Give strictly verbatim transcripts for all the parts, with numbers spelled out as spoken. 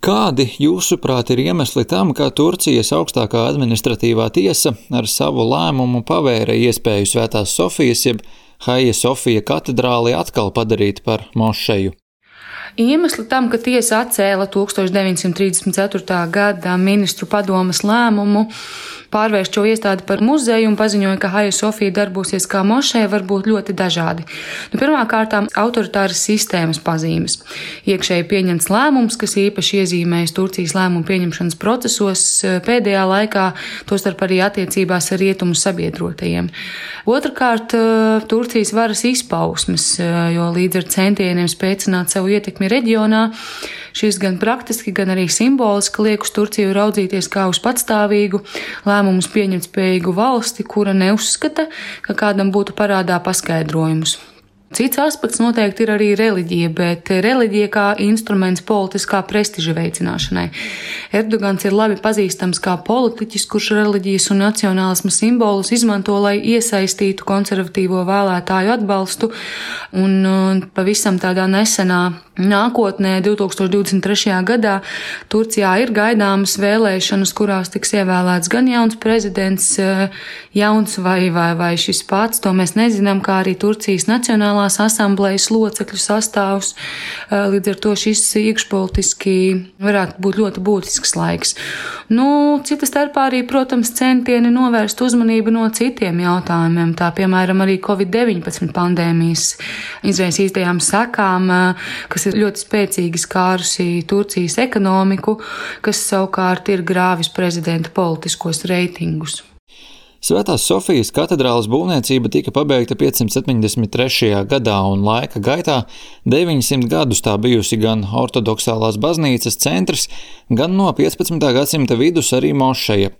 Kādi, jūsuprāt, ir iemesli tam, ka Turcijas augstākā administratīvā tiesa ar savu lēmumu pavēra iespēju Svētās Sofijas jeb Haija Sofija katedrāli atkal padarīt par mošeju? Iemesli tam, ka tiesa atcēla tūkstoš deviņsimt trīsdesmit ceturtā gada ministru padomes lēmumu pārvērst šo iestādi par muzeju un paziņoja, ka Haija Sofija darbosies kā mošeja, var būt ļoti dažādi. Nu, pirmkārtām, autoritāras sistēmas pazīmes. Iekšēji pieņemts lēmums, kas īpaši iezīmējas Turcijas lēmumu pieņemšanas procesos pēdējā laikā, tostarp arī attiecībās ar rietumu sabiedrotajiem. Otrakārt, Turcijas varas izpausmes, jo līdz ar centieniem spēcināt savu ietekmi reģionā, šis gan praktiski, gan arī simboliski liek uz Turciju raudzīties kā uz patstāvīgu, lēmumus pieņemt spējīgu valsti, kura neuzskata, ka kādam būtu parādā paskaidrojumus. Cits aspekts noteikti ir arī reliģija, bet reliģija kā instruments politiskā prestiža veicināšanai. Erdogans ir labi pazīstams kā politiķis, kurš reliģijas un nacionālisma simbolus izmanto, lai iesaistītu konservatīvo vēlētāju atbalstu, un pavisam tādā nesenā nākotnē, divtūkstoš divdesmit trešajā gadā, Turcijā ir gaidāmas vēlēšanas, kurās tiks ievēlēts gan jauns prezidents, jauns vai, vai, vai šis pats, to mēs nezinām, kā arī Turcijas Nacionālās asamblejas locekļu sastāvs. Līdz ar to šis iekšpolitiski varētu būt ļoti būtisks laiks. Nu, cita starpā arī, protams, centieni novērst uzmanību no citiem jautājumiem, tā piemēram arī covid deviņpadsmit pandēmijas izraisītajām sekām, kas ir ļoti spēcīgi skārusi Turcijas ekonomiku, kas savukārt ir grāvis prezidenta politiskos reitingus. Svētās Sofijas katedrāles būvniecība tika pabeigta piecsimt septiņdesmit trešajā gadā, un laika gaitā deviņsimt gadus tā bijusi gan ortodoksālās baznīcas centrs, gan no piecpadsmitā gadsimta vidus arī mošeja.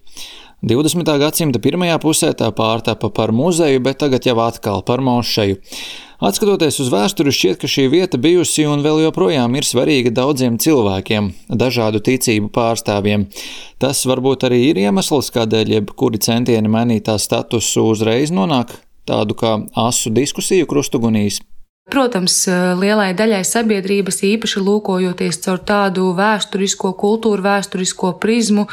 divdesmitā gadsimta pirmajā pusē tā pārtapa par muzeju, bet tagad jau atkal par mošeju. Atskatoties uz vēsturi, šķiet, ka šī vieta bijusi un vēl joprojām ir svarīga daudziem cilvēkiem, dažādu ticību pārstāvjiem. Tas varbūt arī ir iemesls, kādēļ jebkuri centieni mainīt tā statusu uzreiz nonāk tādu kā asu diskusiju krustugunīs. Protams, lielai daļai sabiedrības, īpaši lūkojoties caur tādu vēsturisko, kultūru vēsturisko prizmu,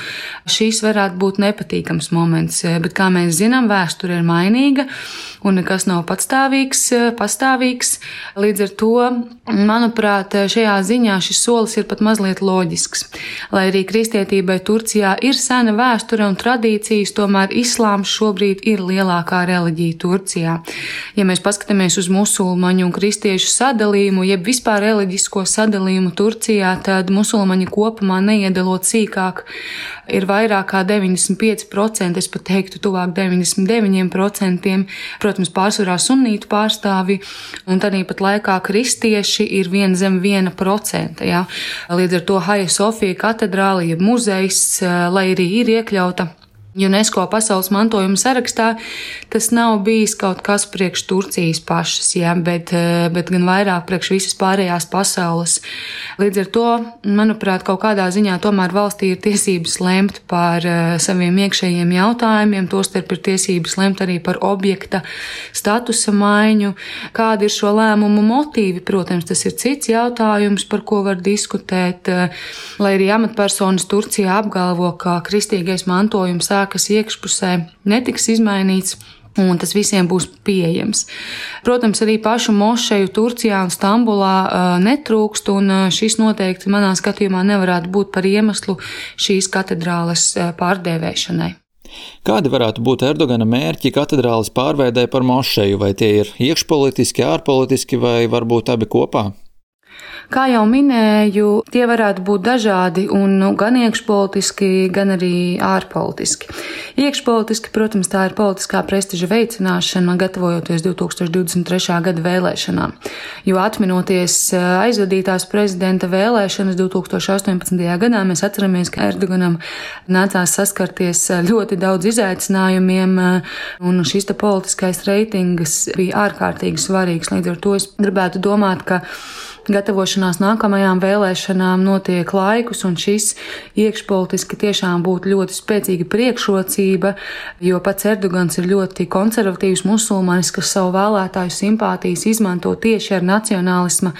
šīs varētu būt nepatīkams moments, bet, kā mēs zinām, vēsture ir mainīga un nekas nav patstāvīgs, pastāvīgs. Līdz ar to, manuprāt, šajā ziņā šis solis ir pat mazliet loģisks. Lai arī kristietībai Turcijā ir sena vēsture un tradīcijas, tomēr islāms šobrīd ir lielākā reliģija Turcijā. Ja mēs paskatāmies uz musulmaņu un kristiešu sadalījumu, jeb vispār reliģisko sadalījumu Turcijā, tad musulmaņi kopumā neiedalot sīkāk ir vairāk kā deviņdesmit pieci procenti, es pat teiktu tuvāk deviņdesmit deviņi procenti, protams, pārsvarā sunnītu pārstāvi, un tad pat laikā kristieši ir vien zem viena procenta. Ja? Līdz ar to Haija Sofija katedrāle, jeb muzejs, lai arī ir iekļauta UNESCO pasaules mantojuma sarakstā, tas nav bijis kaut kas priekš Turcijas pašas, ja, bet, bet gan vairāk priekš visas pārējās pasaules. Līdz ar to, manuprāt, kaut kādā ziņā tomēr valstī ir tiesības lemt par saviem iekšējiem jautājumiem, tostarp ir tiesības lemt arī par objekta statusa maiņu. Kādi ir šo lēmumu motīvi? Protams, tas ir cits jautājums, par ko var diskutēt, lai arī amatpersonas Turcijā apgalvo, ka kristīgais mantojums kas iekšpusē netiks izmainīts, un tas visiem būs pieejams. Protams, arī pašu mošeju Turcijā un Stambulā netrūkst, un šis noteikti manā skatījumā nevarētu būt par iemeslu šīs katedrāles pārdēvēšanai. Kādi varētu būt Erdogana mērķi katedrāles pārveidē par mošeju? Vai tie ir iekšpolitiski, ārpolitiski vai varbūt abi kopā? Kā jau minēju, tie varētu būt dažādi un nu, gan iekšpolitiski, gan arī ārpolitiski. Iekšpolitiski, protams, tā ir politiskā prestiža veicināšana, gatavojoties divtūkstoš divdesmit trešā gada vēlēšanām. Jo atminoties aizvadītās prezidenta vēlēšanas divtūkstoš astoņpadsmitajā gadā, mēs atceramies, ka Erdoganam nācās saskarties ļoti daudz izaicinājumiem, un šis te politiskais reitings bija ārkārtīgi svarīgs. Līdz ar to es gribētu domāt, ka gatavošanās nākamajām vēlēšanām notiek laikus, un šis iekšpolitiski tiešām būtu ļoti spēcīga priekšrocība, jo pats Erdogans ir ļoti konservatīvs musulmanis, kas savu vēlētāju simpātijas izmanto tieši ar nacionālisma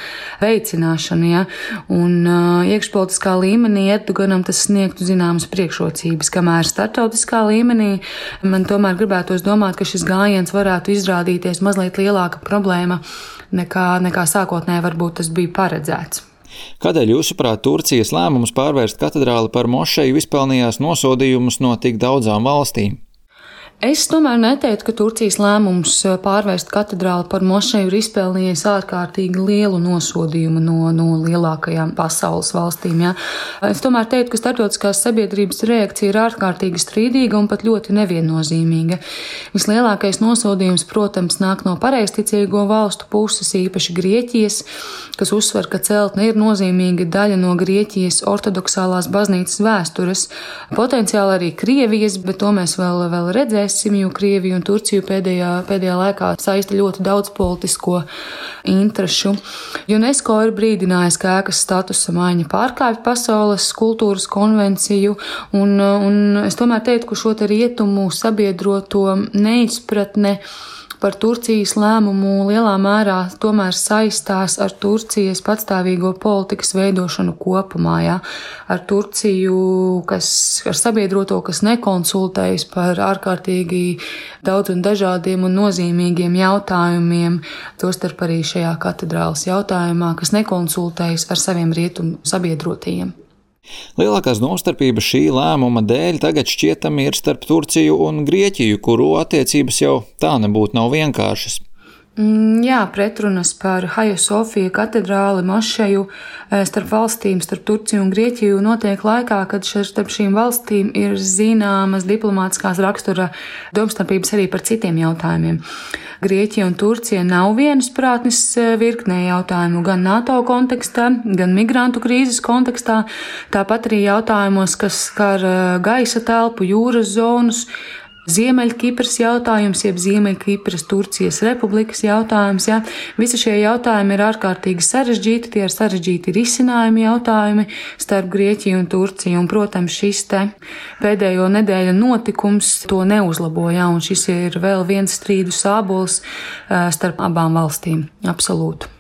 veicināšanu. Ja? Un uh, iekšpolitiskā līmenī Erdoganam tas sniegtu zināmas priekšrocības, kamēr starptautiskā līmenī man tomēr gribētos domāt, ka šis gājiens varētu izrādīties mazliet lielāka problēma nekā, nekā sākotnēji varbūt tas bija paredzēts. Kādēļ jūsuprāt Turcijas lēmums pārvērst katedrāli par mošeju izpelnījās nosodījumus no tik daudzām valstīm? Es tomēr neteiktu, ka Turcijas lēmums pārvērst katedrāli par mošeju ir izpelnījies ārkārtīgi lielu nosodījumu no, no lielākajām pasaules valstīm. Ja. Es tomēr teiktu, ka starptautiskās sabiedrības reakcija ir ārkārtīgi strīdīga un pat ļoti neviennozīmīga. Vislielākais nosodījums, protams, nāk no pareizticīgo valstu puses, īpaši Grieķijas, kas uzsver, ka celtne ir nozīmīga daļa no Grieķijas ortodoksālās baznīcas vēstures, potenciāli arī Krievijas, bet to mēs vēl, vēl redzēsim. Jo Krieviju un Turciju pēdējā, pēdējā laikā saista ļoti daudz politisko interešu. UNESCO ir brīdinājis, ka ēkas statusa maiņa pārkāpj pasaules kultūras konvenciju, un, un es tomēr teiktu, ka šo te rietumu sabiedroto neizpratne par Turcijas lēmumu lielā mērā tomēr saistās ar Turcijas patstāvīgo politikas veidošanu kopumā, ja? Ar Turciju, kas, ar sabiedroto, kas nekonsultējas par ārkārtīgi daudz un dažādiem un nozīmīgiem jautājumiem, tostarp arī šajā katedrāles jautājumā, kas nekonsultējas ar saviem rietumu sabiedrotajiem. Lielākās domstarpības šī lēmuma dēļ tagad šķietami ir starp Turciju un Grieķiju, kuru attiecības jau tā nebūtu nav vienkāršas. Jā, pretrunas par Hagia Sofija katedrāli, mošeju starp valstīm, starp Turciju un Grieķiju notiek laikā, kad starp šīm valstīm ir zināmas diplomātiskās rakstura domstarpības arī par citiem jautājumiem. Grieķija un Turcija nav vienasprātnes virknē jautājumu gan NATO kontekstā, gan migrantu krīzes kontekstā, tāpat arī jautājumos, kas skar gaisa telpu, jūras zonus, Ziemeļkipras jautājums, jeb Ziemeļkipras Turcijas republikas jautājums. Ja? Visi šie jautājumi ir ārkārtīgi sarežģīti, tie ir sarežģīti risinājumi jautājumi starp Grieķiju un Turciju. Un, protams, šis te pēdējo nedēļu notikums to neuzlaboja, un šis ir vēl viens strīdu sābols starp abām valstīm. Absolūti.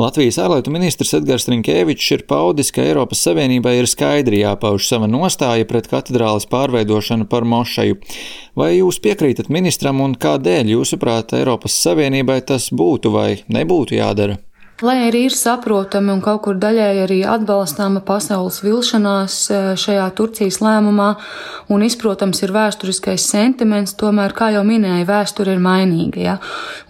Latvijas ārlietu ministrs Edgars Rinkēvičs ir paudis, ka Eiropas Savienībai ir skaidri jāpauž sava nostāja pret katedrāles pārveidošanu par mošeju. Vai jūs piekrītat ministram un kādēļ, jūsuprāt, Eiropas Savienībai tas būtu vai nebūtu jādara? Lai arī ir saprotami un kaut kur daļēji arī atbalstāma pasaules vilšanās šajā Turcijas lēmumā un izprotams ir vēsturiskais sentiments, tomēr, kā jau minēja, vēsture ir mainīga. Ja?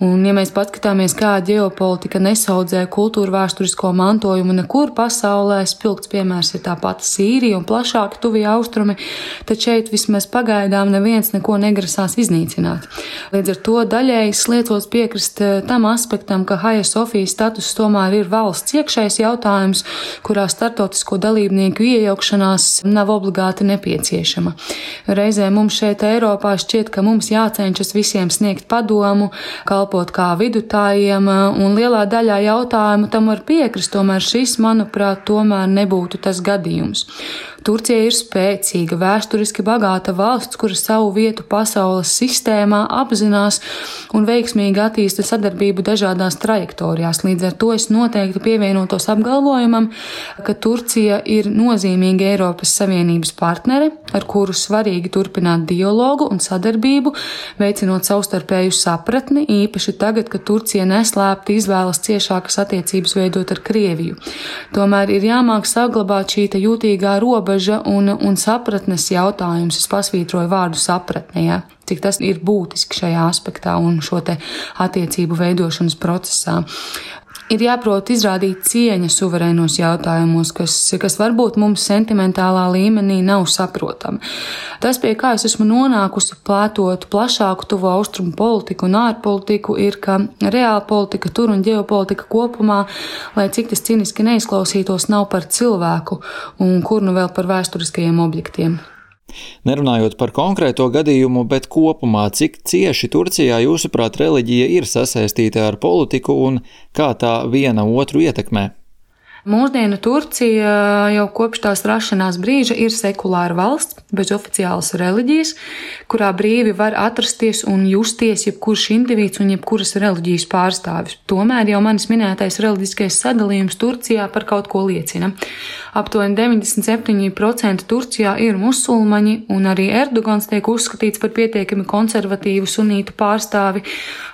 Un, ja mēs paskatāmies, kā ģeopolitika nesaudzē kultūra vēsturisko mantojumu nekur pasaulē, spilgts piemērs ir tā pati Sīrija un plašāki tuvie austrumi, tad šeit vismaz pagaidām neviens neko negrasās iznīcināt. Līdz ar to daļēji sliecos piekrist tam aspektam, ka Hagia Sofijas status tomēr ir valsts iekšējs jautājums, kurā startautisko dalībnieku iejaukšanās nav obligāti nepieciešama. Reizē mums šeit Eiropā šķiet, ka mums jācenšas visiem sniegt padomu, kalpot kā vidutājiem, un lielā daļā jautājumu tam var piekrist, tomēr šis, manuprāt, tomēr nebūtu tas gadījums. Turcija ir spēcīga, vēsturiski bagāta valsts, kura savu vietu pasaules sistēmā apzinās un veiksmīgi attīsta sadarbību dažādās trajektorijās. Līdz ar to es noteikti pievienotos apgalvojumam, ka Turcija ir nozīmīga Eiropas Savienības partnere, ar kuru svarīgi turpināt dialogu un sadarbību, veicinot savstarpēju sapratni, īpaši tagad, kad Turcija neslēpti izvēlas ciešākas attiecības veidot ar Krieviju. Tomēr ir jāmāk saglabāt šī jūtīgā robeža un, un sapratnes jautājums. Es pasvītroju vārdu sapratne, ja? Cik tas ir būtiski šajā aspektā un šo te attiecību veidošanas procesā. Ir jāprot izrādīt cieņa suverēnos jautājumos, kas, kas varbūt mums sentimentālā līmenī nav saprotami. Tas, pie kā es esmu nonākusi plētot plašāku tuvo austrumu politiku un ārpolitiku, ir, ka reāla politika tur un ģeopolitika kopumā, lai cik tas ciniski neizklausītos, nav par cilvēku un kur nu vēl par vēsturiskajiem objektiem. Nerunājot par konkrēto gadījumu, bet kopumā, cik cieši Turcijā jūsuprāt reliģija ir sasaistīta ar politiku un kā tā viena otru ietekmē? Mūsdienu Turcija jau kopš tās rašanās brīža ir sekulāra valsts, bez oficiālas reliģijas, kurā brīvi var atrasties un justies jebkurš indivīds un jebkuras reliģijas pārstāvis. Tomēr jau manis minētais reliģiskais sadalījums Turcijā par kaut ko liecina. Aptuveni deviņdesmit septiņi procenti Turcijā ir musulmaņi, un arī Erdogans tiek uzskatīts par pietiekami konservatīvu sunītu pārstāvi.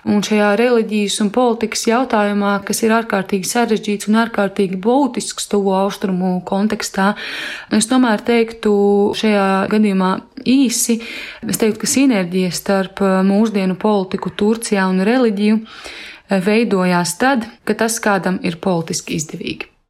Un šajā reliģijas un politikas jautājumā, kas ir ārkārtīgi sarežģīts un ārkārtīgi būtisks tuvo austrumu kontekstā, es tomēr teiktu šajā gadījumā īsi, es teiktu, ka sinerģija starp mūsdienu politiku Turcijā un reliģiju veidojās tad, kad tas kādam ir politiski izdevīgi.